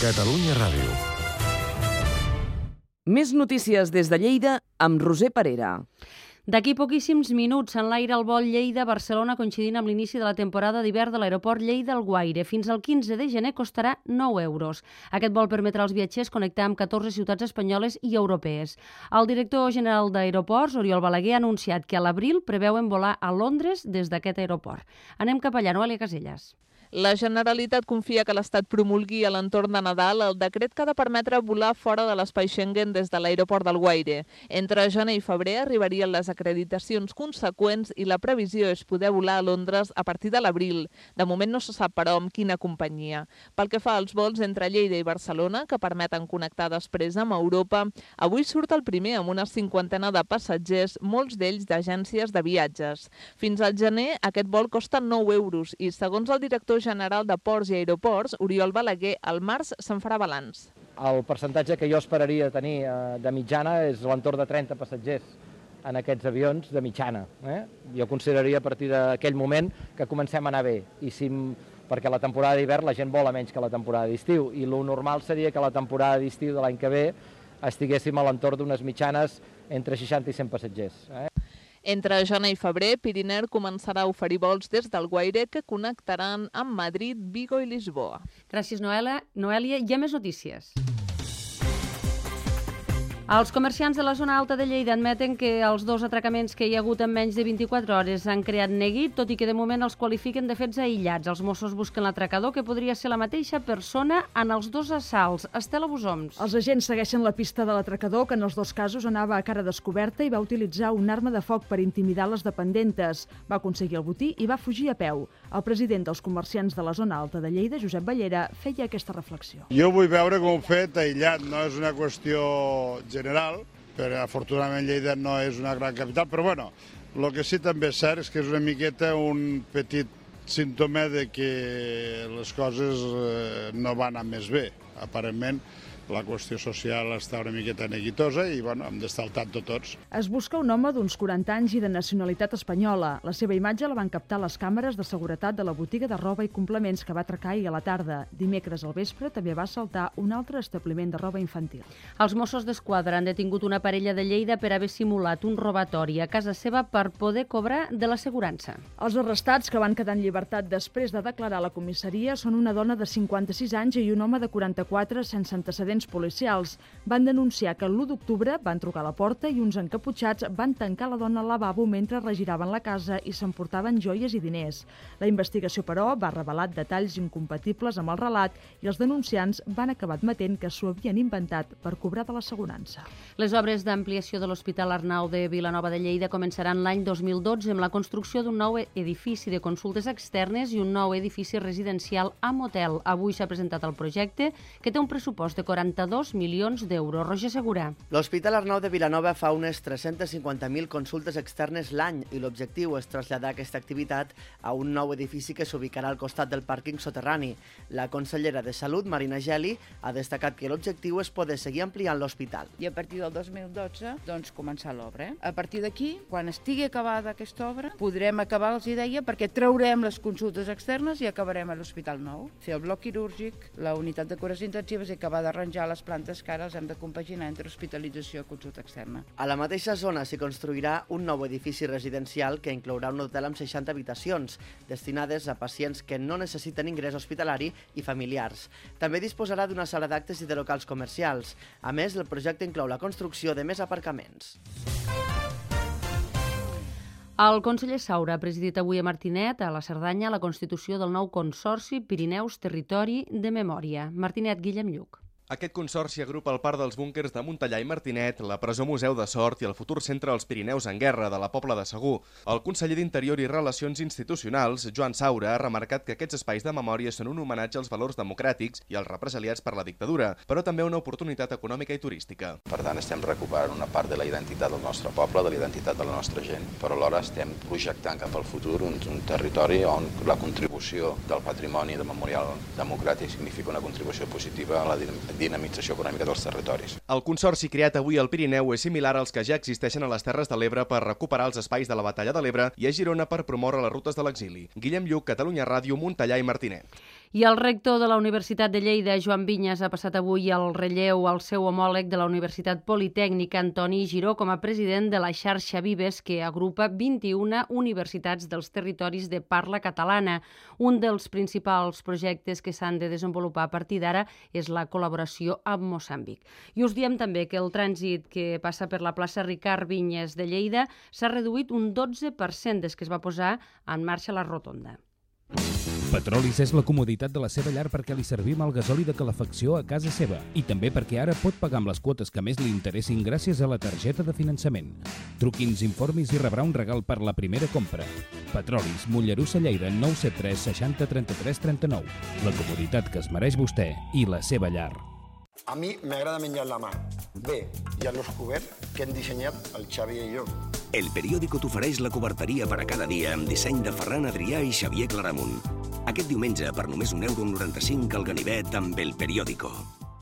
Catalunya Ràdio. Més notícies des de Lleida amb Roser Parera. D'aquí poquíssims minuts s'enlaira el vol Lleida-Barcelona coincidint amb l'inici de la temporada d'hivern de l'aeroport Lleida-Alguaire. Fins al 15 de gener costarà 9 euros. Aquest vol permetrà als viatgers connectar amb 14 ciutats espanyoles i europees. El director general d'Aeroports, Oriol Balaguer, ha anunciat que a l'abril preveuen volar a Londres des d'aquest aeroport. Anem cap allà, Noelia Casellas. La Generalitat confia que l'Estat promulgui a l'entorn de Nadal el decret que ha de permetre volar fora de l'espai Schengen des de l'aeroport d'Alguaire. Entre gener i febrer arribarien les acreditacions conseqüents i la previsió és poder volar a Londres a partir de l'abril. De moment no se sap, però, amb quina companyia. Pel que fa als vols entre Lleida i Barcelona, que permeten connectar després amb Europa, avui surt el primer amb una 50ena de passatgers, molts d'ells d'agències de viatges. Fins al gener, aquest vol costa 9 euros i, segons el director general de Ports i Aeroports, Oriol Balaguer, al març se'n farà balanç. El percentatge que jo esperaria tenir de mitjana és l'entorn de 30 passatgers en aquests avions de mitjana. Jo consideraria a partir d'aquell moment que comencem a anar bé, perquè la temporada d'hivern la gent vola menys que la temporada d'estiu, i el normal seria que la temporada d'estiu de l'any que ve estiguéssim a l'entorn d'unes mitjanes entre 60 i 100 passatgers. Entre gener i febrer, Piriner començarà a oferir vols des d'Alguaire que connectaran amb Madrid, Vigo i Lisboa. Gràcies, Noelia. Hi ha més notícies. Els comerciants de la zona alta de Lleida admeten que els 2 atracaments que hi ha hagut en menys de 24 hores han creat neguit, tot i que de moment els qualifiquen de fets aïllats. Els Mossos busquen l'atracador, que podria ser la mateixa persona en els 2 assalts. Estela Busoms. Els agents segueixen la pista de l'atracador, que en els 2 casos anava a cara descoberta i va utilitzar una arma de foc per intimidar les dependentes. Va aconseguir el botí i va fugir a peu. El president dels comerciants de la zona alta de Lleida, Josep Ballera, feia aquesta reflexió. Jo vull veure com un fet aïllat, no és una qüestió general, però afortunadament Lleida no és una gran capital, però bueno, el que sí també és cert és que és una miqueta un petit símptoma de que les coses no van anar més bé. Aparentment, la qüestió social està una miqueta neguitosa i bueno, hem d'estar al tanto tots. Es busca un home d'uns 40 anys i de nacionalitat espanyola. La seva imatge la van captar les càmeres de seguretat de la botiga de roba i complements que va atracar ahir a la tarda. Dimecres al vespre també va assaltar un altre establiment de roba infantil. Els Mossos d'Esquadra han detingut una parella de Lleida per haver simulat un robatori a casa seva per poder cobrar de l'assegurança. Els arrestats, que van quedar en llibertat després de declarar a la comissaria, són una dona de 56 anys i un home de 44 sense antecedents policials. Van denunciar que l'1 d'octubre van trucar a la porta i uns encaputxats van tancar la dona al lavabo mentre regiraven la casa i s'emportaven joies i diners. La investigació, però, va revelar detalls incompatibles amb el relat i els denunciants van acabar admetent que s'ho havien inventat per cobrar de l'assegurança. Les obres d'ampliació de l'Hospital Arnau de Vilanova de Lleida començaran l'any 2012 amb la construcció d'un nou edifici de consultes externes i un nou edifici residencial amb hotel. Avui s'ha presentat el projecte, que té un pressupost de 42 milions d'euros. Roger Segura. L'Hospital Arnau de Vilanova fa unes 350.000 consultes externes l'any i l'objectiu és traslladar aquesta activitat a un nou edifici que s'ubicarà al costat del pàrquing soterrani. La consellera de Salut, Marina Geli, ha destacat que l'objectiu és poder seguir ampliant l'hospital. I a partir del 2012, doncs, començar l'obra. A partir d'aquí, quan estigui acabada aquesta obra, podrem acabar, els deia, perquè traurem les consultes externes i acabarem a l'Hospital Nou. Fer el bloc quirúrgic, la unitat de cures intensives i acabar d'arranjar les plantes que ara els hem de compaginar entre hospitalització i consulta externa. A la mateixa zona s'hi construirà un nou edifici residencial que inclourà un hotel amb 60 habitacions, destinades a pacients que no necessiten ingrés hospitalari i familiars. També disposarà d'una sala d'actes i de locals comercials. A més, el projecte inclou la construcció de més aparcaments. El conseller Saura ha presidit avui a Martinet, a la Cerdanya, la constitució del nou Consorci Pirineus Territori de Memòria. Martinet, Guillem Lluc. Aquest consorci agrupa el parc dels búnquers de Montellà i Martinet, la presó Museu de Sort i el futur centre dels Pirineus en Guerra de la Pobla de Segur. El conseller d'Interior i Relacions Institucionals, Joan Saura, ha remarcat que aquests espais de memòria són un homenatge als valors democràtics i als represaliats per la dictadura, però també una oportunitat econòmica i turística. Per tant, estem recuperant una part de la identitat del nostre poble, de la identitat de la nostra gent, però alhora estem projectant cap al futur un territori on la contribució del patrimoni de memorial democràtic significa una contribució positiva a la dinamització econòmica dels territoris. El consorci creat avui al Pirineu és similar als que ja existeixen a les Terres de l'Ebre per recuperar els espais de la Batalla de l'Ebre i a Girona per promoure les rutes de l'exili. Guillem Lluc, Catalunya Ràdio, Montellà i Martinet. I el rector de la Universitat de Lleida, Joan Vinyes, ha passat avui el relleu al seu homòleg de la Universitat Politècnica, Antoni Giró, com a president de la xarxa Vives, que agrupa 21 universitats dels territoris de parla catalana. Un dels principals projectes que s'han de desenvolupar a partir d'ara és la col·laboració amb Moçambic. I us diem també que el trànsit que passa per la plaça Ricard Vinyes de Lleida s'ha reduït un 12% des que es va posar en marxa la rotonda. Petrolis és la comoditat de la seva llar perquè li servim el gasoli de calefacció a casa seva i també perquè ara pot pagar amb les quotes que més li interessin gràcies a la targeta de finançament. Truqui'ns, informis i rebrà un regal per la primera compra. Petrolis, Mollerussa, Lleida, 973 60 33 39. La comoditat que es mereix vostè i la seva llar. A mi m'agrada menjar la mà. Bé, i a l'os cobert que hem dissenyat el Xavi i jo. El Periódico t'ofereix la coberteria per a cada dia amb disseny de Ferran Adrià i Xavier Claramunt. Aquest diumenge, per només €1,95 al ganivet amb El Periódico.